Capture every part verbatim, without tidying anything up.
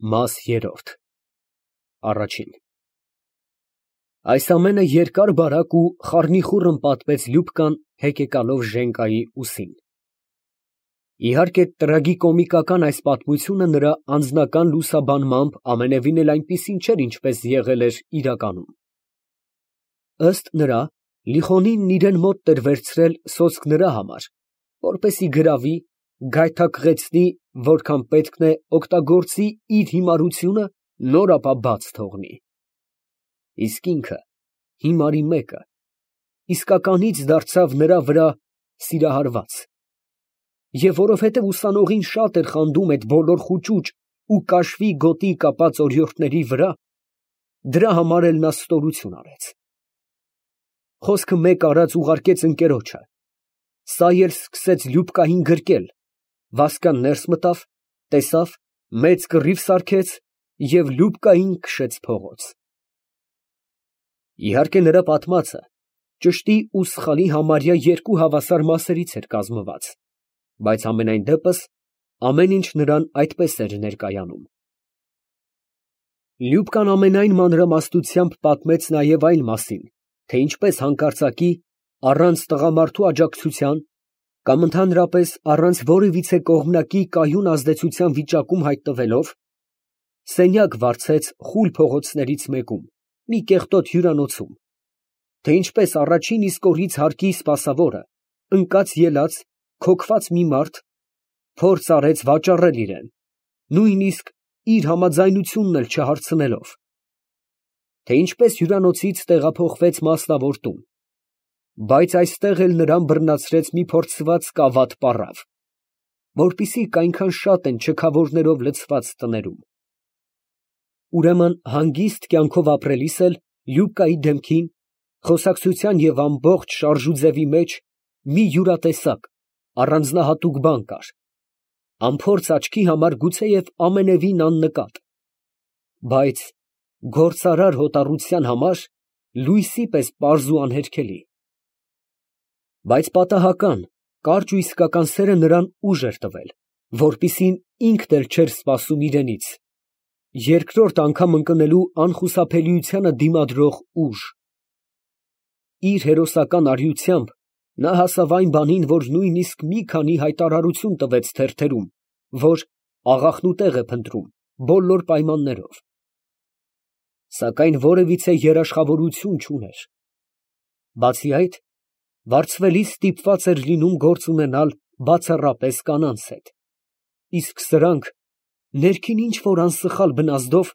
Մաս երրորդ Առաջին Այս ամենը երկար֊բարակ ու խառնիխուռն պատմեց Լյուբկան, հեկեկալով Ժենկայի ուսին։ Իհարկե, տրագիկոմիկական այս պատմությունը նրա անձնական լուսաբանմամբ ամենևին էլ այնպիսին չէր, ինչպես եղել էր իրականում։ Ըստ նրա, Լիխոնինն իրան մոտ էր վերցրել սոսկ նրա համար, որպեսզի գրավի, գայթակղեցնի, որքան պետքն է օգտագործի իր հիմարությունը, նոր ապա բաց թողնի։ Իսկ ինքը, հիմարի մեկը, իսկականից դարձավ նրա վրա սիրահարված, և որովհետև ուսանողին շատ էր խանդում այդ բոլոր խուճուճ ու կաշվի գոտի կապած օրիորդների վրա, դրա համար էլ նա ստորություն արեց։ Խոսքը մեկ արած ուղարկեց ընկերոջը, սա էլ սկսեց Լյուբկային գրկել, Վասկան ներս մտավ, տեսավ, մեծ կռիվ սարքեց և Լյուբկային քշեց փողոց։ Իհարկե, նրա պատմածը ճշտի ու սխալի համարյա երկու հավասար մասերից էր կազմված, բայց համենայն դեպս ամեն ինչ նրան այդպես էր ներկայանում։ Լյուբկան ամենայն մանրամասնությամբ պատմեց նաև այն մասին, թե ինչպես հանկարծակի, առանց տղամարդու աջակցության կամ ընդհանրապես առանց որևիցե կողմնակի կայուն ազդեցության վիճակում հայտնվելով, սենյակ վարձեց խուլ փողոցներից մեկում, մի կեղտոտ հյուրանոցում, թե ինչպես առաջին իսկ օրից հարկի սպասավորը, ընկած֊ելած, քոքված մի մարդ, փորձ արեց վաճառել իրան, նույնիսկ իր համաձայնությունն էլ չհարցնելով, թե ինչպես հյուրանոցից տեղափոխվեց մասնավոր տուն, բայց այստեղ էլ նրան բռնացրեց մի փորձված կավատ պառավ, որպիսիք այնքան շատ են չքավորներով լցված տներում։ Ուրեմն հանգիստ կյանքով ապրելիս էլ Լյուբկայի դեմքին, խոսակցության և ամբողջ շարժուձևի մեջ մի յուրատեսակ, առանձնահատուկ բան կար, անփորձ աչքի համար գուցեև ամենևին աննկատ, բայց գործարար հոտառության համար լույսի պես պարզ ու անհերքելի։ Բայց պատահական, կարճ ու իսկական սերը նրան ուժ էր տվել, որպիսին ինքն էլ չէր սպասում իրենից, երկրորդ անգամ ընկնելու անխուսափելիությանը դիմադրող ուժ։ Իր հերոսական արիությամբ նա հասավ այն բանին, որ նույնիսկ մի քանի հայտարարություն տվեց թերթերում, որ աղախնուտեղ է փնտրում, բոլոր պայմաններով, սակայն որևիցե երաշխավորություն չուներ։ Բացի այդ, վարձվելիս ստիպված էր լինում գործ ունենալ բացառապես կանանց հետ, իսկ սրանք ներքին ինչ֊որ անսխալ բնազդով,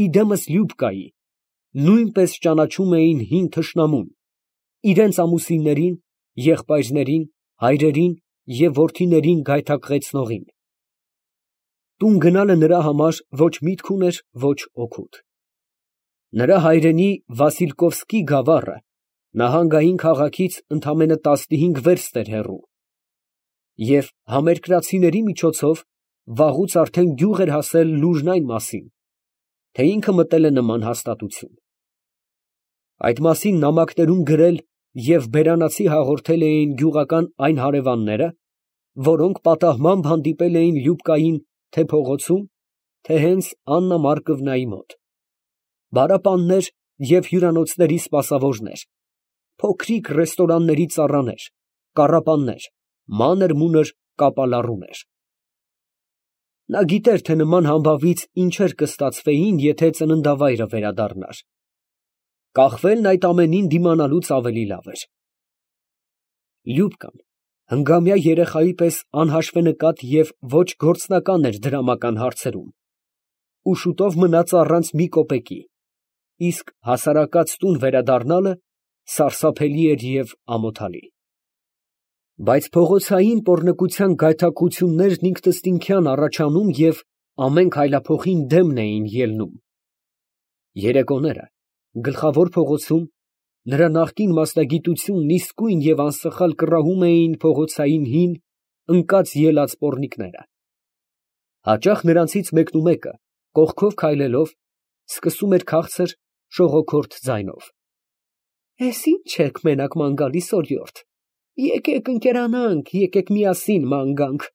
իդեմս Լյուբկայի, նույնպես ճանաչում էին հին թշնամուն, իրենց ամուսիններին, եղբայրներին, հայրերին և որդիներին գայթակղեցնողին։ Տուն գնալը նրա համար ոչ միտք ուներ, ոչ օգուտ։ Նրա հայրենի Վասիլկովսկի գավառը նահանգային քաղաքից ընդամենը տասնհինգ վերստ էր հեռու, և համերկրացիների միջոցով վաղուց արդեն գյուղ էր հասել լուրն այն մասին, թե ինքը մտել է նման հաստատություն։ Այդ մասին նամակներում գրել և բերանացի հաղորդել էին գյուղական այն հարևանները, որոնք պատահմամբ հանդիպել էին Լյուբկային թե փողոցում, թե հենց Աննա Մարկովնայի մոտ, բարապաններ և հյուրանոցների սպասավորներ, փոքրիկ ռեստորանների ծառաներ, կառապաններ, մանր֊մունր կապալառուներ։ Նա գիտեր, թե նման համբավից ինչեր կստացվեին, եթե ծննդավայրը վերադառնար։ Կախվելն այդ ամենին դիմանալուց ավելի լավ էր։ Լյուբկան հնգամյա երեխայի պես անհաշվենկատ և ոչ գործնական էր դրամական հարցերում ու շուտով մնաց առանց մի կոպեկի, իսկ հասարակած տուն վերադառնալը սարսափելի էր և ամոթալի։ Բայց փողոցային պոռնկության գայթակղություններն ինքնըստինքյան առաջանում և ամեն քայլափոխին դեմն էին ելնում։ Երեկոները գլխավոր փողոցում նրա նախկին մասնագիտությունն իսկույն և անսխալ կռահում էին փողոցային հին, ընկած֊ելած պոռնիկները։ Հաճախ նրանցից մեկնումեկը, կողքով քայլելով, սկսում էր քաղցր, շողոքորթ ձայնով. «Էս ի՞նչ եք մենակ ման գալիս, օրիորդ, եկեք ընկերանանք, եկեք միասին ման գանք,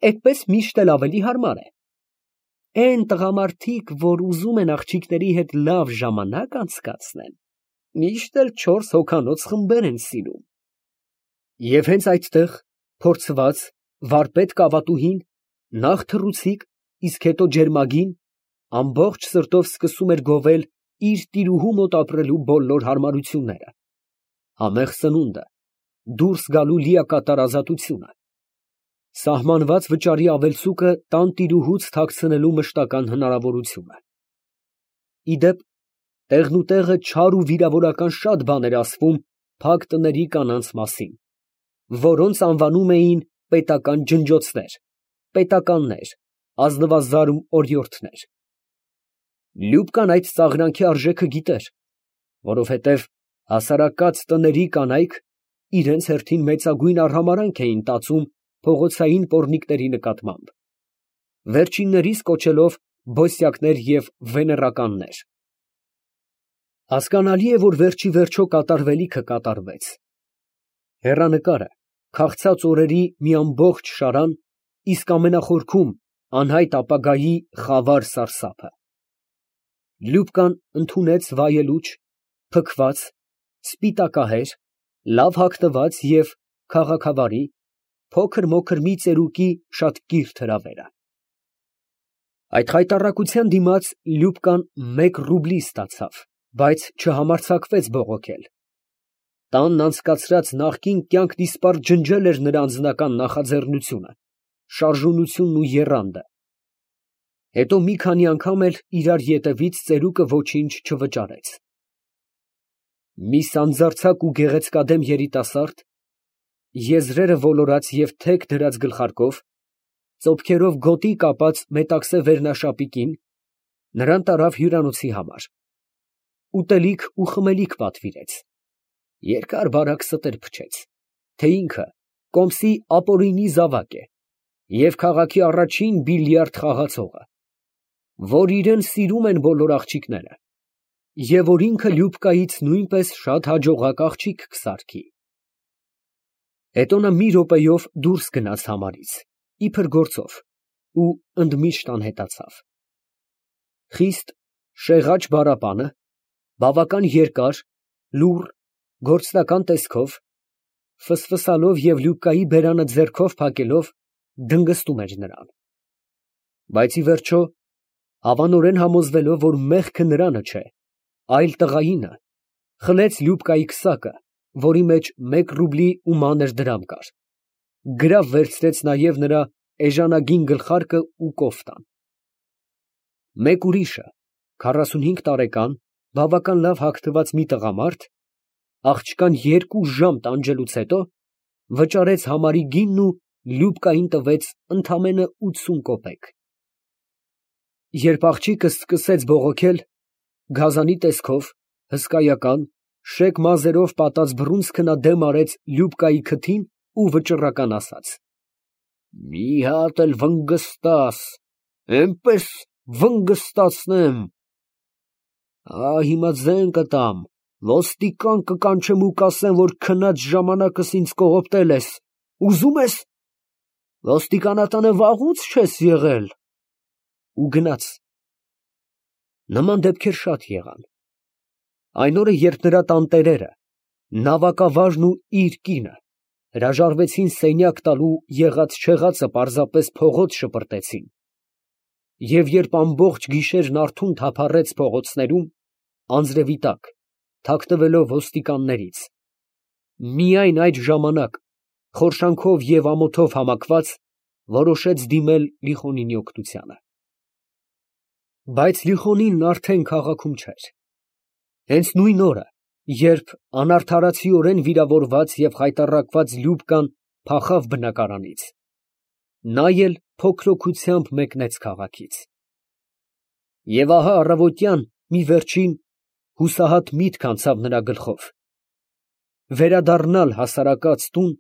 էդպես միշտ էլ ավելի հարմար է»։ Էն տղամարդիկ, որ ուզում են աղջիկների հետ լավ ժամանակ անցկացնեն, միշտ էլ չորս հոգանոց խմբեր են սիրում։ Եվ հենց այդտեղ փորձված վարպետ կավատուհին նախ թռուցիկ, իսկ հետո ջերմագին ամբողջ սրտով սկսում էր գովել իր տիրուհու մոտ ապրելու բոլոր հարմարությունները, համեղ սնունդը, դուրս գալու լիակատար ազատությունը, սահմանված վճարի ավելցուկը տան տիրուհուց թաքցնելու մշտական հնարավորությունը։ Ի դեպ, տեղնուտեղը չար ու վիրավորական շատ բան էր ասվում փակ տների կանանց մասին, որոնց անվանում էին պետական ջնջոցներ, պետականներ, ազնվազարմ օրիորդներ։ Լյուբկան այդ ծաղրանքի արժեքը գիտեր, որովհետև հասարակած տների կանայք իրենց հերթին մեծագույն արհամարհանք էին տածում փողոցային պոռնիկների նկատմամբ, վերջիններիս կոչելով բոսյակներ և վեներականներ։ Հասկանալի է, որ վերջիվերջո կատարվելիքը կատարվեց. հեռանկարը, քաղցած օրերի մի ամբողջ շարան, իսկ ամենախորքում անհայտ ապագայի խավար սարսափը։ Լյուբկան ընդունեց վայելուչ, փքված, սպիտակահեր, լավ հագնված և քաղաքավարի, փոքր֊մոքր մի ծերուկի շատ կիրթ հրավերը։ Այդ խայտառակության դիմաց Լյուբկան մեկ ռուբլի ստացավ, բայց չհամարձակվեց բողոքել։ Տանն անցկացրած նախկին կյանքն իսպառ ջնջել էր նրա անձնական նախաձեռնությունը, շարժունությունն ու եռանդը։ Հետո մի քանի անգամ էլ իրար ետևից ծերուկը ոչինչ չվճարեց։ Մի սանձարձակ ու գեղեցկադեմ երիտասարդ, եզրերը ոլորած և թեք դրած գլխարկով, ծոփքերով գոտի կապած մետաքսե վերնաշապիկին, նրան տարավ հյուրանոցի համար, ուտելիք ու խմելիք պատվիրեց, երկար֊բարակ ստեր փչեց, թե ինքը կոմսի ապօրինի զավակ է և քաղաքի առաջին բիլիարդ խաղացողը, որ իրան սիրում են բոլոր աղջիկները, և որ ինքը Լյուբկայից նույնպես շատ հաջողակ աղջիկ կսարքի։ Հետո նա մի րոպեով դուրս գնաց համարից, իբր գործով, ու ընդմիշտ անհետացավ։ Խիստ շեղաճ բառապանը, բավական երկար, լուռ, գործնական տեսքով, ֆսֆսալով և Լյուբկայի բերանը ձեռքով փակելով, դնգստում էր նրան։ Բայց ի վերջո, հավանորեն համոզվելով, որ մեղքը նրանը չէ, այլ տղայինը, խլեց Լյուբկայի քսակը, որի մեջ մեկ ռուբլի ու մանր դրամ կար, գրավ վերցրեց նաև նրա էժանագին գլխարկը ու կոֆտան։ Մեկ ուրիշը, քառասունհինգ տարեկան, բավական լավ հագնված մի տղամարդ, աղջկան երկու ժամ տանջելուց հետո, վճարեց համարի գինն ու Լյուբկային տվեց ընդամենը ութսուն կոպեկ։ Երբ աղջիկը սկսեց բողոքել, գազանի տեսքով, հսկայական, շեկ մազերով պատած բռունցքը նա դեմ արեց Լյուբկայի քթին ու վճռական ասաց. «Մի հատ էլ վնգստաս, էնպես վնգստացնեմ… Ա, հիմա ձեն կտամ, ոստիկան կկանչեմ ու կասեմ, որ քնած ժամանակս ինձ կողոպտել ես, ուզում ես… Ոստիկանատանը վաղուց չես եղել»։ Ու գնաց։ Նման դեպքեր շատ եղան։ Այն օրը, երբ նրա տանտերերը, նավակավարն ու իր կինը հրաժարվեցին սենյակ տալու եղած֊չեղածը պարզապես փողոց շպրտեցին, և երբ ամբողջ գիշերն արթուն թափառեց փողոցներում, անձրևի տակ, թաքնվելով ոստիկաններից, միայն այդ ժամանակ, խորշանքով և ամոթով համակված, որոշեց դիմել Լիխոնինի օգնությանը։ Բայց Լիխոնինն արդեն քաղաքում չէր։ Հենց նույն օրը, երբ անարդարացիորեն վիրավորված և խայտառակված Լյուբկան փախավ բնակարանից, նա էլ փոքրոքությամբ մեկնեց քաղաքից։ Եվ ահա առավոտյան մի վերջին, հուսահատ միտք անցավ նրա գլխով. վերադառնալ հասարակած տուն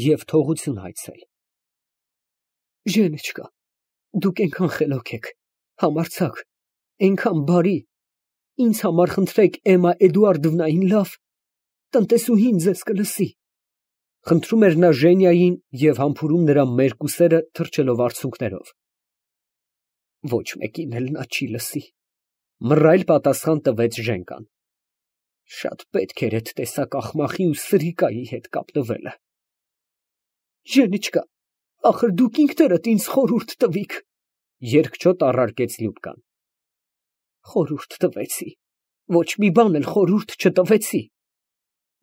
և թողություն հայցել։ Ժենիչկա, դուք էնքան խելոք եք, համարձակ, էնքան բարի, ինձ համար խնդրեք Էմմա Էդուարդովնային լավ, տնտեսուհին ձեզ կլսի, խնդրում էր նա Ժենիային և համբուրում նրա մերկ ուսերը թրջելով արցունքներով։ Ոչ մեկին էլ նա չի լսի, մռայլ պատասխան տվեց Ժենկան։ Շատ պետք էր այդ տեսակ աղմախի ու սրիկայի հետ կապ տվելը։ Ժենիչկա, ախր դուք ինքներդ ինձ խորհուրդ տվիք, երկչոտ առարկեց Լյուբկան։ Խորհուրդ տվեցի, ոչ մի բան էլ խորհուրդ չտվեցի։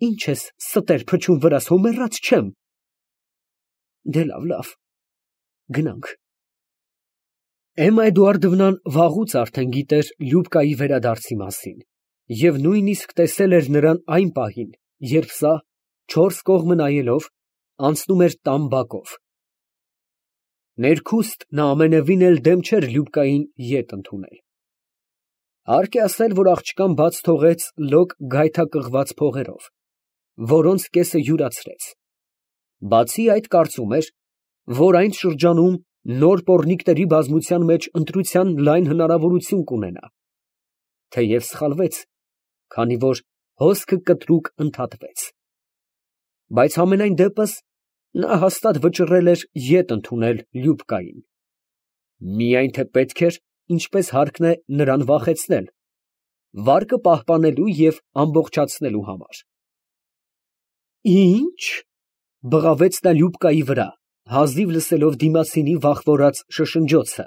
Ինչ ես ստեր փչում վրաս, հո մեռած չեմ։ Դե լավ, լավ, գնանք։ Էմմա Էդուարդովնան վաղուց արդեն գիտեր Լյուբկայի վերադարձի մասին և նույնիսկ տեսել էր նրան այն պահին, երբ սա, չորս կողմը նայելով, անցնում էր տան բակով։ Ներքուստ նա ամենևին էլ դեմ չէր Լյուբկային ետ ընդունել։ Հարկ է ասել, որ աղջկան բաց թողեց լոկ գայթակղված փողերով, որոնց կեսը յուրացրեց։ Բացի այդ, կարծում էր, որ այն շրջանում նոր պոռնիկների բազմության մեջ ընտրության լայն հնարավորություն կունենա, թեև սխալվեց, քանի որ հոսքը կտրուկ ընդհատվեց։ Բայց համենայն դեպս նա հաստատ վճռել էր ետ ընդունել Լյուբկային։ Միայն թե պետք էր, ինչպես հարկն է, նրան վախեցնել, վարկը պահպանելու և ամբողջացնելու համար։ Ի՞նչ, բղավեց նա Լյուբկայի վրա, հազիվ լսելով դիմացինի վախվորած շշնջոցը։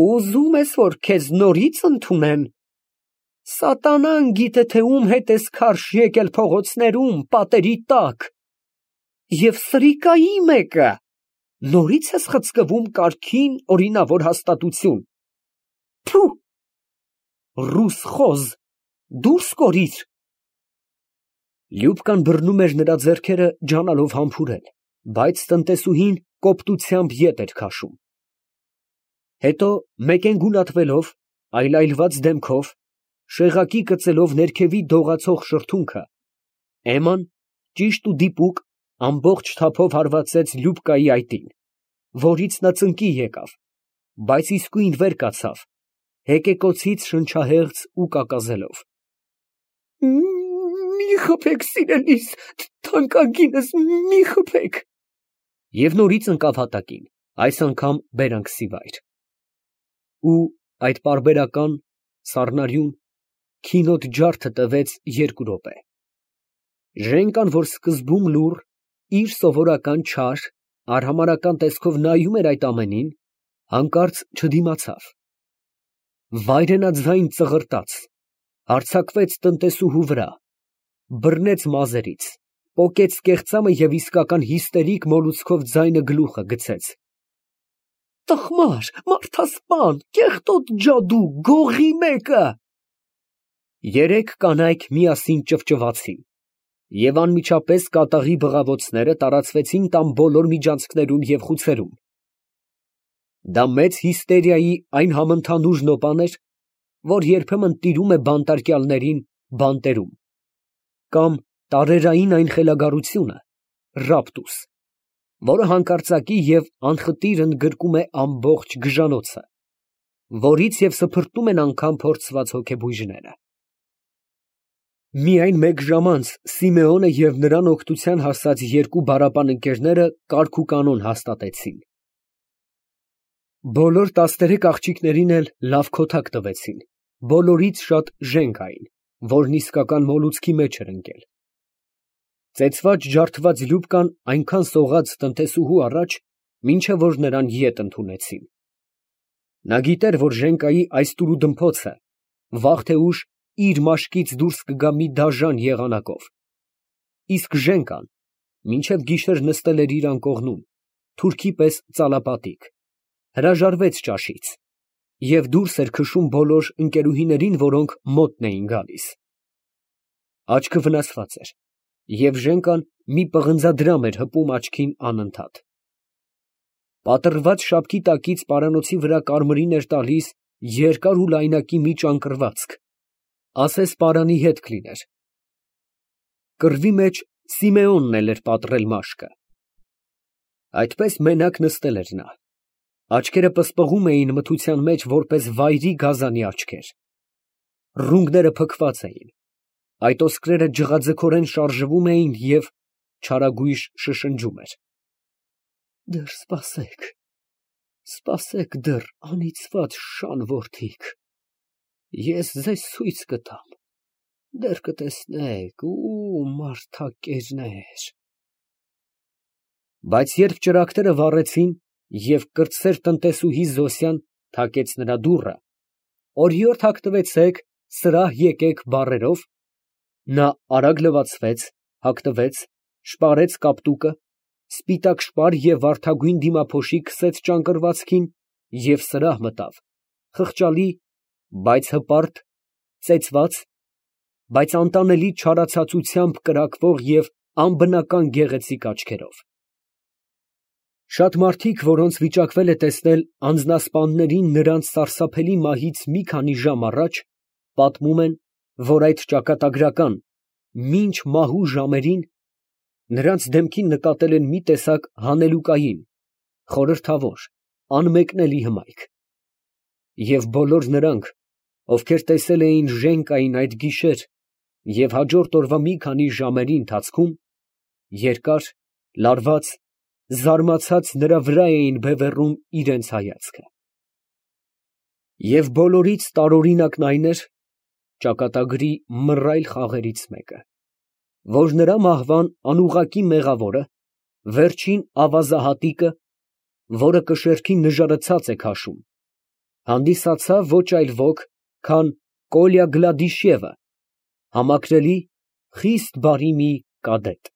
Ուզում ես, որ քեզ նորից ընդունեն։ Սատանան գիտե, թե ում հետ ես քարշ եկել փողոցներում, պատերի տակ։ Եվ սրիկայի մեկը, նորից ես խցկվում կարգին օրինավոր հաստատություն։ Փու, ռուս խոզ, դուրս կորիր։ Լյուբկան բռնում էր նրա ձեռքերը, ջանալով համբուրել, բայց տնտեսուհին կոպտությամբ ետ էր քաշում։ Հետո մեկեն գունատվելով, այլայլված դեմքով, շեղակի կծելով ներքևի դողացող շրթունքը, Էմման ճիշտ ու դիպուկ ամբողջ թափով հարվածեց Լյուբկայի այտին, որից նա ծնկի եկավ, բայց իսկույն վեր կացավ, հեկեկոցից շնչահեղձ ու կակազելով։ Մի խփեք, սիրելիս, թանկագինս, մի խփեք։ Եվ նորից ընկավ հատակին, այս անգամ բերանքսի վայր։ Ու այդ պարբերական, սառնարյուն, քինոտ ջարդը տևեց երկու րոպե։ Ժենկան, որ սկզբում լուռ, իր սովորական չար, արհամարհական տեսքով նայում էր այդ ամենին, հանկարծ չդիմացավ։ Վայրենաձայն ծղրտաց, հարձակվեց տնտեսուհու վրա, բռնեց մազերից, պոկեց կեղծամը և իսկական հիստերիկ մոլուցքով ձայնը գլուխը գցեց։ Տխմար, մարդասպան, կեղտոտ ջադու, գողի մեկը։ Երեք կանայք միասին ճվճվացին, և անմիջապես կատաղի բղավոցները տարածվեցին տան բոլոր միջանցքներում և խուցերում։ Դա մեծ հիստերիայի այն համընդհանուր նոպան էր, որ երբեմն տիրում է բանտարկյալներին բանտերում, կամ տարերային այն խելագարությունը, ռապտուս, որը հանկարծակի և անխտիր ընդգրկում է ամբողջ գժանոցը, որից և սփրտում են անգամ փորձված հոգեբույժները։ Միայն մեկ ժամ անց Սիմեոնը և նրան օգնության հասած երկու բառապան ընկերները կարգուկանոն հաստատեցին։ Բոլոր տասներեք աղջիկներին էլ լավ քոթակ տվեցին, բոլորից շատ Ժենկային, որն իսկական մոլուցքի մեջ էր ընկել։ Ծեծված ջարդված Լյուբկան այնքան սողաց տնտեսուհու առաջ, մինչև որ նրան ետ ընդունեցին։ Նա գիտեր, որ Ժենկայի այս տուրուդմփոցը վաղ թե ուշ իր մաշկից դուրս կգա մի դաժան եղանակով, իսկ Ժենկան մինչև գիշեր նստել էր իր անկողնում, թուրքի պես ծալապատիկ, հրաժարվեց ճաշից և դուրս էր քշում բոլոր ընկերուհիներին, որոնք մոտն էին գալիս։ Աչքը վնասված էր, և Ժենկան մի պղնձադրամ էր հպում աչքին անընդհատ։ Պատռված շապքի տակից պարանոցի վրա կարմիրին էր տալիս երկար ու լայնակի մի ճանկռվածք, ասես պարանի հետ կլիներ։ Կռվի մեջ Սիմեոնն էլ էր պատռել մաշկը։ Այդպես մենակ նստել էր նա, աչքերը պսպղում էին մթության մեջ որպես վայրի գազանի աչքեր, ռունգները փքված էին, այդ ոսկրերը ջղաձգորեն շարժվում էին և չարագույժ շշնջում էր. Դեռ սպասեք, Սպասեք դեռ, անիծված շան որդիք, ես ձեզ ցույց կտամ, դեռ կտեսնեք, ու մարդակերներ։ Բայց երբ ճրագները վառեցին և կրտսեր տնտեսուհի Զոսյան թակեց նրա դուռը, «Օրիորդ հագնվեցեք, սրահ եկեք» բառերով, նա արագ լվացվեց, հագնվեց, շպարեց կապտուկը, սպիտակ շպար և վարդագույն դիմափոշի քսեց ճանկռվածքին և սրահ մտավ, խղճալի, բայց հպարտ, ծեծված, բայց անտանելի չարացածությամբ կրակվող և անբնական գեղեցիկ աչքերով։ Շատ մարդիկ, որոնց վիճակվել է տեսնել անձնասպաններին նրանց սարսափելի մահից մի քանի ժամ առաջ, պատմում են, որ այդ ճակատագրական մինչ մահու ժամերին նրանց դեմքին նկատել են մի տեսակ հանելուկային, խորհրդավոր, անմեկնելի հմայք, և բոլոր նրանք, ովքեր տեսել էին Ժենկային այդ գիշեր և հաջորդ օրվա մի քանի ժամերի ընթացքում, երկար, լարված, զարմացած նրա վրա էին բևեռում իրանց հայացքը։ Եվ բոլորից տարօրինակն այն էր (ճակատագրի մռայլ խաղերից մեկը), որ նրա մահվան անուղղակի մեղավորը, վերջին ավազահատիկը, որը կշեռքի նժարը ցած է քաշում, հանդիսացավ ոչ այլ ոք, քան Կոլյա Գլադիշևը, համակրելի, խիստ բարի մի կադետ։